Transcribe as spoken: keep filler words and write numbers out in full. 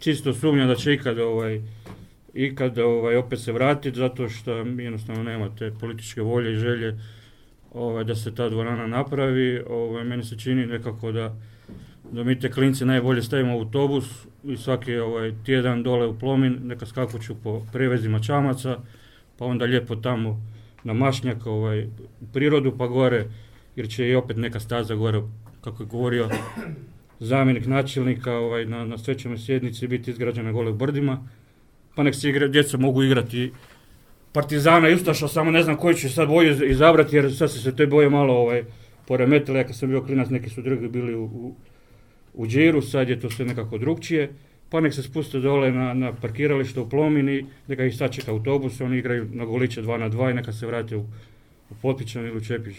čisto sumnjam da će ikad ovaj, ikad ovaj, opet se vratiti, zato što jednostavno nema te političke volje i želje ovaj, da se ta dvorana napravi. Ovaj, meni se čini nekako da, da mi te klinci najbolje stavimo u autobus i svaki ovaj, tjedan dole u Plomin, neka skakuću po prevezima čamaca, pa onda lijepo tamo na Mašnjak, ovaj, u prirodu pa gore, jer će i opet neka staza gore, kako je govorio zamjenik načelnika, ovaj, na, na svečanoj sjednici biti izgrađena gole u Brdima, pa nek se igra, djeca mogu igrati Partizana i Ustaša, samo ne znam koji će sad boju izabrati, jer sad se se te boje malo ovaj, poremetile. Ja kad sam bio klinac, neki su drugi bili u, u, u Điru, sad je to sve nekako drugčije, pa nek se spuste dole na, na parkiralište u Plomini, neka ih sačeka autobus, oni igraju na goliće dva na dva i neka se vrate u, u Potpičan ili u Čepić.